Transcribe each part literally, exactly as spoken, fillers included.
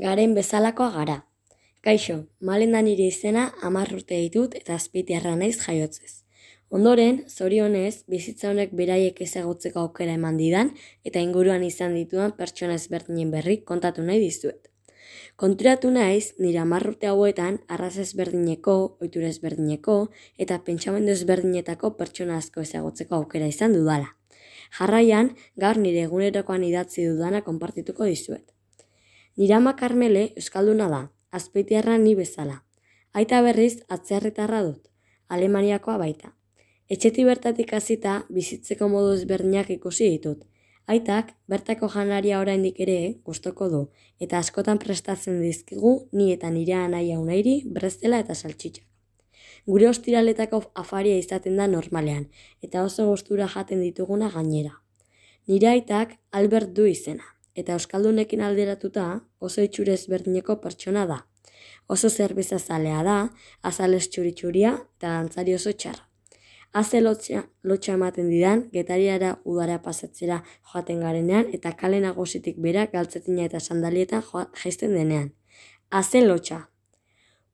Garen bezalakoa gara. Kaixo, Malenda nire izena hamar urte ditut eta azpeitiarra naiz jaiotzez. Ondoren, zorionez, bizitza honek beraiek ezagutzeko aukera eman didan eta inguruan izan ditudan pertsona ezberdinen berri kontatu nahi dizuet. Konturatu naiz, nire hamar urte hauetan arraza ezberdineko, ohitura ezberdineko eta pentsamendu ezberdinetako pertsona asko ezagutzeko aukera izan dudala. Jarraian, gaur nire egunerokoan idatzi dudana konpartituko dizuet. Nire ama Karmele euskalduna da, azpeitiarra ni bezala. Aita berriz atzerritarra dut, Alemaniakoa baita. Etxetik bertatik hasita bizitzeko modu ezberdinak ikusi ditut. Aitak bertako janaria oraindik ere gustoko du eta askotan prestatzen dizkigu ni eta nire anaia Unairi breztela eta saltxitxak. Gure ostiraletako afaria izaten da normalean eta oso gustura jaten dituguna gainera. Nire aitak Albert du izena eta euskaldunekin alderatuta oso itxura ezberdineko pertsona da. Oso zerbeza zalea da, azalez txuri-txuria eta dantzari oso txarra. Haze lotxa, lotxa ematen didan, Getariara udara pasatzera joaten garenean eta kale nagusitik bera galtzetina eta sandalietan jaisten denean. Haze lotxa.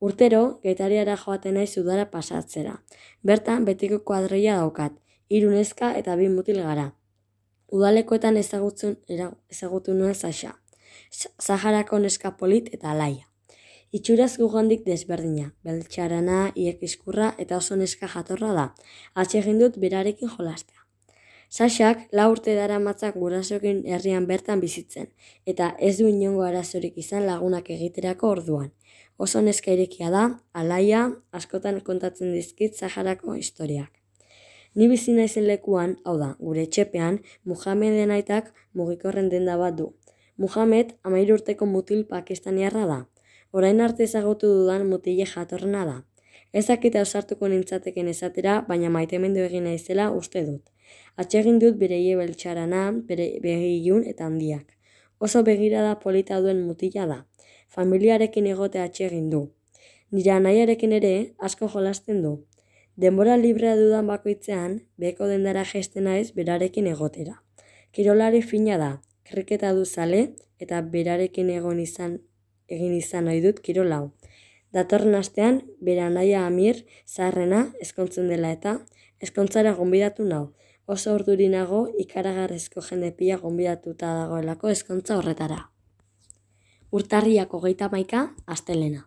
Urtero, Getariara joaten naiz udara pasatzera. Bertan betiko kuadroia daukat, hiru neska eta bi mutil gara. Udalekoetan ezagutzen, ezagutu nuen Saxa. Saharako neska polit eta alaia. Itxuraz gugandik desberdina, beltxarana, iekiskurra eta oso neska jatorra da. Atsegin dut berarekin jolastea. Saxak lau urte daramatzak gurasoekin herrian bertan bizitzen, eta ez du inongo arazorik izan lagunak egiterako orduan. Oso neska irekia da, alaia, askotan kontatzen dizkit Saharako historiak. Ni bizi naizen lekuan, hau da, gure etxepean, Muhameden aitak mugikorren denda bat du. Muhamed hamairu urteko mutil pakistaniarra da. Orain arte ezagutu dudan mutile jatorrena da. Ez dakit ausartuko nintzateken esatera, baina maitemendu egin naizela uste dut. Atsegin dut bereie beltxarana, bere begilun eta handiak. Oso begirada polita duen mutila da. Familiarekin egotea atsegin du. Nire anaiarekin ere asko jolasten du. Denbora librea dudan bakoitzean, beko dendara jaisten naiz berarekin egotera. Kirolari fina da, kriketa du zale eta berarekin egon izan egin izan ohi dut kirol hau. Datorren astean, bere anaia Amir, zaharrena, ezkontzen dela eta, ezkontzara gonbidatu nau. Oso urduri nago ikaragarrizko jende pila gonbidatuta dagoelako ezkontza horretara. Urtarriak hogeita hamaika, astelena.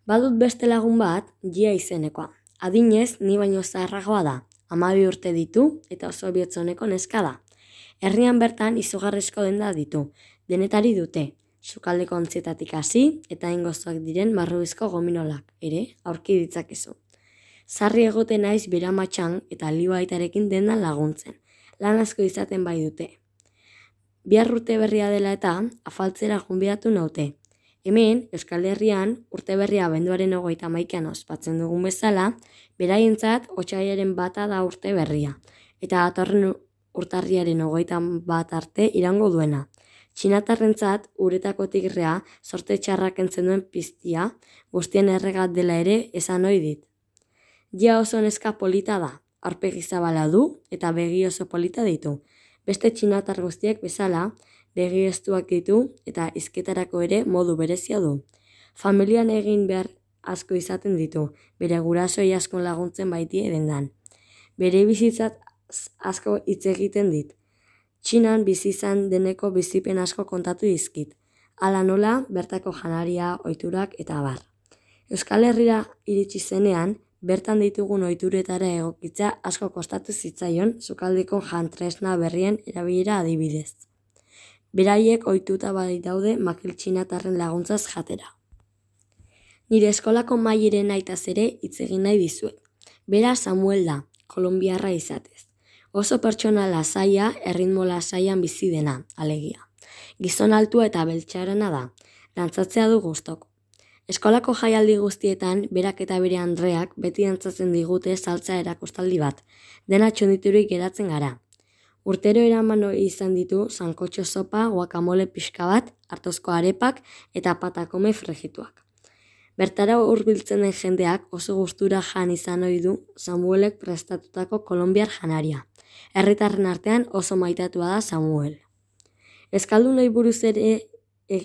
Badut beste lagun bat, Gia izenekoa. Adinez, ni baino zaharragoa da. Hamabi urte ditu eta oso bihotzoneko neska da. Herrian bertan izugarrizko denda ditu, denetari dute. Sukaldeko ontzietatik hasi eta ingozoak diren marrubizko gominolak, ere, aurki ditzakezu. Sarri egoten naiz bera matxan eta libaitarekin dendan laguntzen. Lan asko izaten bai dute. Bihar urte berria dela eta afaltzera gonbidatu naute. Hemen, Euskal Herrian, urte berria abenduaren hogeita hamaikaan ospatzen dugun bezala, beraientzat otsaiaren bata da urte berria, eta datorren urtarriaren hogeita bat arte irango duena. Txinatarrentzat uretako tigrea sorte txarrak entzen duen piztia, guztien erregat dela ere esan ohi dit. Gia oso neska polita da, aurpegi zabala du eta begi oso polita ditu. Beste txinatar guztiek bezala, begi estuak ditu eta hizketarako ere modu berezia du. Familian egin behar asko izaten ditu, bere gurasoi askon laguntzen baitie dendan. Bere bizitzat asko hitz egiten dit. Txinan bizi izan deneko bizipen asko kontatu dizkit. Hala nola, bertako janaria, ohiturak eta abar. Euskal Herrira iritsi zenean, bertan ditugun ohituretara egokitza asko kostatu zitzaion sukaldeko jantresna berrien erabilera adibidez. Beraiek ohituta bai daude makil txinatarren laguntzaz jatera. Nire eskolako maieren aitaz ere hitz egin nahi dizuet. Bera Samuel da, kolonbiarra izatez. Oso pertsona lasaia, erritmo lasaian bizi dena, alegia. Gizon altua eta beltxarana da, dantzatzea du gustoko. Eskolako jaialdi guztietan, berak eta bere Andreak beti dantzatzen digute saltza erakustaldi bat, dena txunditurik geratzen gara. Urtero eraman izan ditu sankotxo sopa, guacamole pixka bat, artozko arepak eta patakome fregituak. Bertara hurbiltzen den jendeak oso gustura jan izan ohi du Samuelek prestatutako kolonbiar janaria. Herritarren artean oso maitatua da Samuel. Eskaldunei buruz ere e,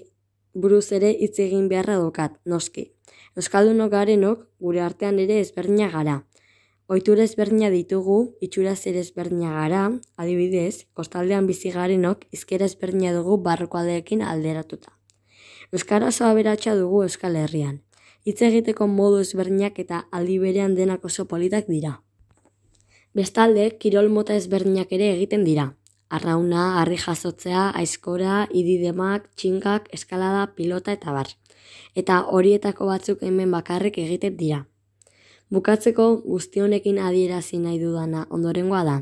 buruz ere hitz egin beharra dokat, noski. Euskaldunok garenok gure artean ere ezberdina gara. Ohitura ezberdina ditugu, itxuraz ere ezberdina gara, adibidez, kostaldean bizi garenok hizkera ezberdina dugu barrualdeekin alderatuta. Euskara oso aberatsa dugu Euskal Herrian. Hitz egiteko modu ezberdinak eta aldi berean denak oso politak dira. Bestalde, kirol mota ezberdinak ere egiten dira. Arrauna, harri jasotzea, aizkora, ididemak, txinkak, eskalada, pilota eta bar. Eta horietako batzuk hemen bakarrik egiten dira. Bukatzeko guzti honekin adierazi nahi dudana ondorengoa da.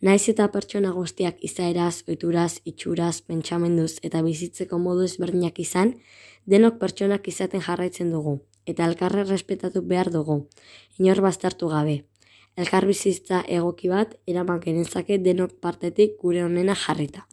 Naiz eta pertsona guztiak izaeraz, ohituraz, itxuraz, pentsamenduz eta bizitzeko modu ezberdinak izan, denok pertsonak izaten jarraitzen dugu, eta elkarra errespetatu behar dugu, inor baztertu gabe. Elkar bizitza egoki bat eraman genezake denok partetik gure onena jarrita.